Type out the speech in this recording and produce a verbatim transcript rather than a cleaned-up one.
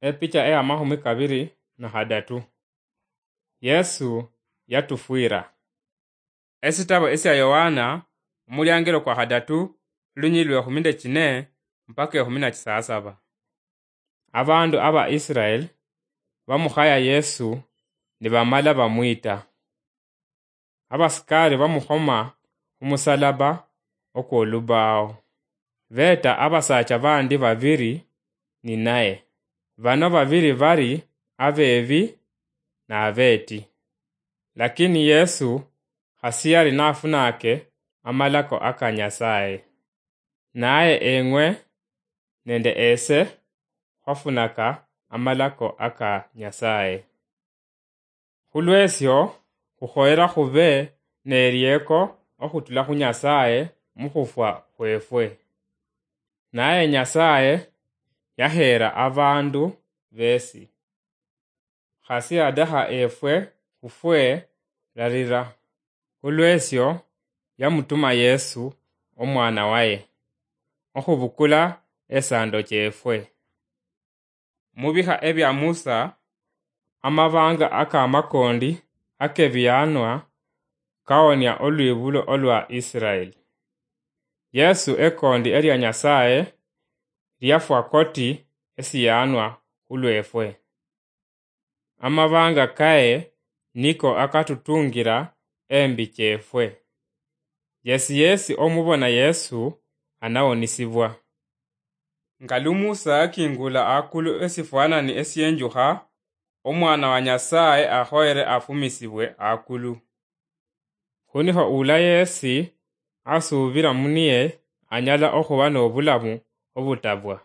Epicha eya mahumi kabiri na hadatu. Yesu yatufwira. Esitabo esya Yohana, omulyangiro kwa hadatu, lunyi lwe ehumi nde chine mpaka ehumi na chisasaba. Abandu aba Israel bamukhaya Yesu nibamala bamwita. Abasikari bamukhoma khumusalaba okwolubao. Beeta abasacha bandi babiri ninaye. Bano babiri bari abeebi na abeeti. Lakini Yesu khasi yari nafunake amalako aka Nyasaye. Naye eng'we nende ese khwafunaka amalako aka Nyasaye. Khulwesyo, khukhoyera khube nelieko okhutula khu Nyasaye mukhufwa khwefwe. Naye Nyasaye yaheera abandu besi. Khasi yadakha efwe khufwe rarira. Khulwesyo, yamutuma Yesu, omwana waye, okhubukula esando chefwe. Mu bikha ebya Musa, amabanga akamakondi akebiyanwa kawonia olwibulo olwa Israel. Yesu ekondi elia Nyasaye liafwa koti esiyanwa khulwefwe. Amabanga kaye niko akatutungira embi chefwe. Yesi yesi omubona Yesu anawonisibwa. Nga lu Musa yakingula akulu esifwanani esienjukha, Omwana wa Nyasaye akhoyere afumisibwe akulu. Khunikho ula yesi asubira muniye anyala okhuba nobulamu obutabwa.